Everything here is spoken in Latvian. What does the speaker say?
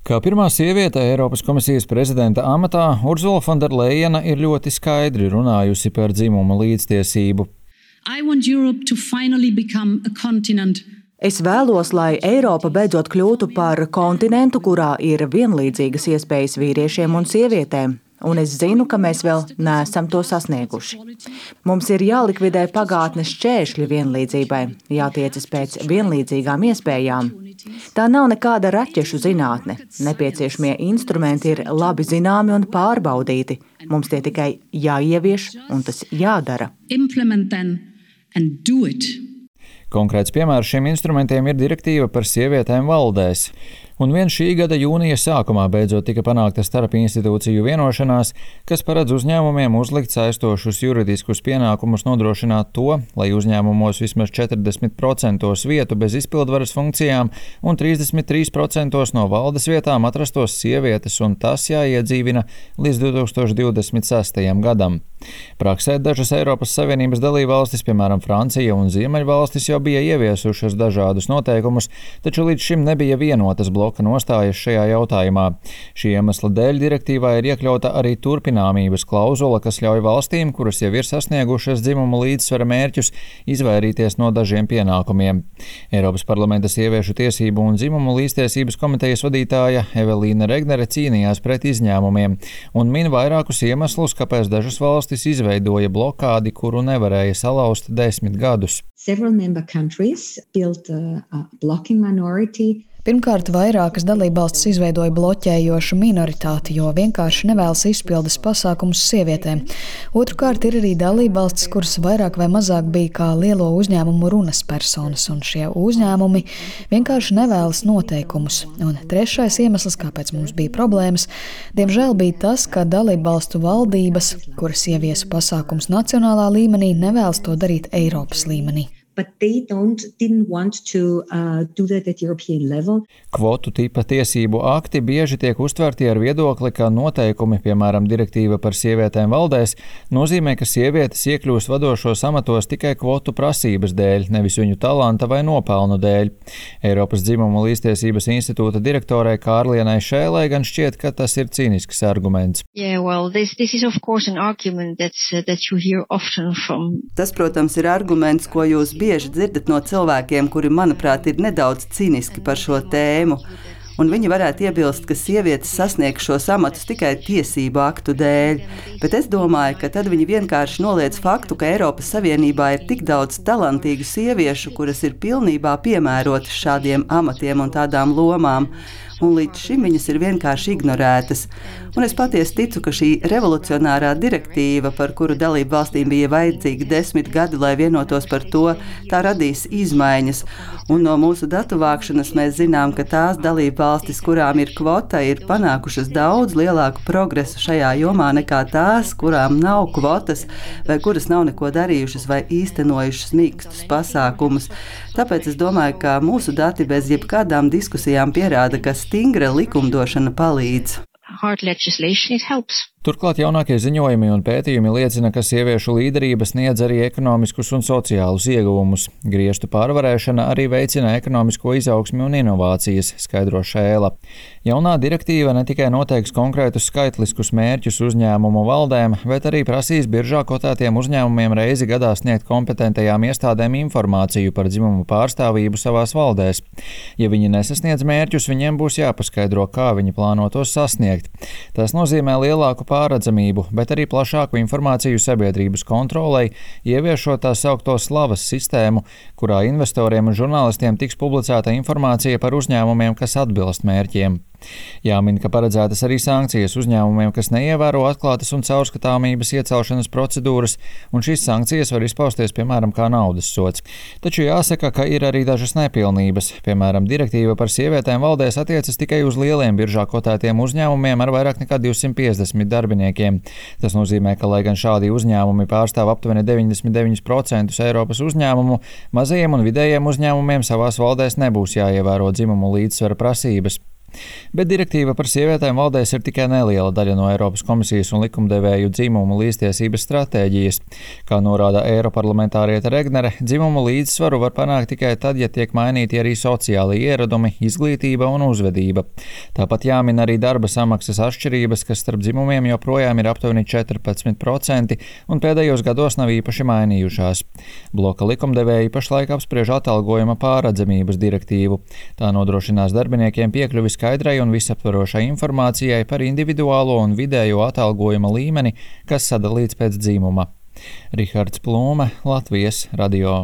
Kā pirmā sieviete Eiropas komisijas prezidenta amatā, Urzula von der Leyena ir ļoti skaidri runājusi par dzimumu līdztiesību. Es vēlos, lai Eiropa beidzot kļūtu par kontinentu, kurā ir vienlīdzīgas iespējas vīriešiem un sievietēm. Un es zinu, ka mēs vēl neesam to sasnieguši. Mums ir jālikvidē pagātnes šķēršļi vienlīdzībai, jātiecas pēc vienlīdzīgām iespējām. Tā nav nekāda raķešu zinātne. Nepieciešamie instrumenti ir labi zināmi un pārbaudīti. Mums tie tikai jāievieš un tas jādara. Konkrēts piemērs šiem instrumentiem ir direktīva par sievietēm valdēs. Un vien šī gada jūnija sākumā beidzot tika panākta starpinstitūciju vienošanās, kas paredz uzņēmumiem uzlikt saistošus juridiskus pienākumus nodrošināt to, lai uzņēmumos vismaz 40% vietu bez izpildvaras funkcijām un 33% no valdes vietām atrastos sievietes, un tas jāiedzīvina līdz 2026. gadam. Praksē dažas Eiropas Savienības dalībvalstis, piemēram Francija un Ziemeļvalstis, jau bija ieviesušas dažādus noteikumus, taču līdz šim nebija vienotas bloka nostājas šajā jautājumā. Šī iemesla dēļ direktīvā ir iekļauta arī turpināmības klauzula, kas ļauj valstīm, kuras jau ir sasniegušas dzimumu līdzsvara mērķus, izvairīties no dažiem pienākumiem. Eiropas parlamenta sieviešu tiesību un dzimumu līdztiesības komitejas vadītāja Evelīna Regnere cīnījās pret izņēmumiem un min vairākus iemeslus, kāpēc dažas valstis izveidoja blokādi, kuru nevarēja salauzt 10 gadus. Pirmkārt, vairākas dalībvalstis izveidoja bloķējošu minoritāti, jo vienkārši nevēlas izpildes pasākumus sievietēm. Otrkārt, ir arī dalībvalstis, kuras vairāk vai mazāk bija kā lielo uzņēmumu runas personas, un šie uzņēmumi vienkārši nevēlas noteikumus. Un trešais iemesls, kāpēc mums bija problēmas, diemžēl bija tas, ka dalībvalstu valdības, kuras ieviesa pasākums nacionālā līmenī, nevēlas to darīt Eiropas līmenī. Kvotu tipa tiesību akti bieži tiek uztverti ar viedokli, ka noteikumi, piemēram, direktīva par sievietēm valdēs, nozīmē, ka sievietes iekļūst vadošos amatos tikai kvotu prasības dēļ, nevis viņu talanta vai nopelnu dēļ. Eiropas dzimumu līdztiesības institūta direktorai Kārlienai Šēlai gan šķiet, ka tas ir cīnisks arguments. Tas, protams, ir arguments, ko jūs bieži dzirdat no cilvēkiem, kuri, manuprāt, ir nedaudz cīniski par šo tēmu. Un viņi varētu iebilst, ka sievietes sasniegs šos amatus tikai tiesību aktu dēļ. Bet es domāju, ka tad viņi vienkārši noliedz faktu, ka Eiropas Savienībā ir tik daudz talantīgu sieviešu, kuras ir pilnībā piemērotas šādiem amatiem un tādām lomām. Un līdz šim viņas ir vienkārši ignorētas. Un es patiesi ticu, ka šī revolucionārā direktīva, par kuru dalību valstīm bija vajadzīgi 10 gadi, lai vienotos par to, tā radīs izmaiņas. Un no mūsu datu vākšanas mēs zinām, ka tās dalību valstis, kurām ir kvota, ir panākušas daudz lielāku progresu šajā jomā nekā tās, kurām nav kvotas vai kuras nav neko darījušas vai īstenojušas mīkstus pasākumus. Tāpēc es domāju, ka mūsu dati bez jebkādām diskusijām pierāda, ka stingra likumdošana palīdz. Turklāt jaunākie ziņojumi un pētījumi liecina, ka sieviešu līderība sniedz arī ekonomiskus un sociālus ieguvumus. Griestu pārvarēšana arī veicina ekonomisko izaugsmi un inovācijas, skaidro Šēla. Jaunā direktīva ne tikai noteiks konkrētus skaitliskus mērķus uzņēmumu valdēm, bet arī prasīs biržā kotētiem uzņēmumiem reizi gadā sniegt kompetentajām iestādēm informāciju par dzimumu pārstāvību savās valdēs. Ja viņi nesasniedz mērķus, viņiem būs jāpaskaidro, kā viņi plāno tos sasniegt. Tas nozīmē lielāku pārredzamību, bet arī plašāku informāciju sabiedrības kontrolei, ieviešot tā saukto slavas sistēmu, kurā investoriem un žurnālistiem tiks publicēta informācija par uzņēmumiem, kas atbilst mērķiem. Jāmin, ka paredzētas arī sankcijas uzņēmumiem, kas neievēro atklātas un caurskatāmības iecelšanas procedūras, un šīs sankcijas var izpausties, piemēram, kā naudas sods. Taču jāsaka, ka ir arī dažas nepilnības. Piemēram, direktīva par sievietēm valdēs attiecas tikai uz lieliem biržā kotētiem uzņēmumiem ar vairāk nekā 250 darbiniekiem. Tas nozīmē, ka, lai gan šādi uzņēmumi pārstāv aptuveni 99% Eiropas uzņēmumu, mazajiem un vidējiem uzņēmumiem savās valdēs nebūs jāievēro dzimumu līdzsvara prasības. Bet direktīva par sievietēm valdēs ir tikai neliela daļa no Eiropas komisijas un likumdevēju dzimumu līdztiesības stratēģijas. Kā norāda eiroparlamentāriete Regnere, dzimumu līdzsvaru var panākt tikai tad, ja tiek mainīti arī sociāli ieradumi, izglītība un uzvedība. Tāpat jāmin arī darba samaksas atšķirības, kas starp dzimumiem joprojām ir aptuveni 14% un pēdējos gados nav īpaši mainījušās. Bloka likumdevēji pašlaik apspriež atalgojuma pārredzamības direktīvu. Tā nodrošinās darbiniekiem piekļuvi skaidrai un visaptvarošai informācijai par individuālo un vidējo atalgojuma līmeni, kas sadalīts pēc dzimuma. Rihards Plūme, Latvijas radio.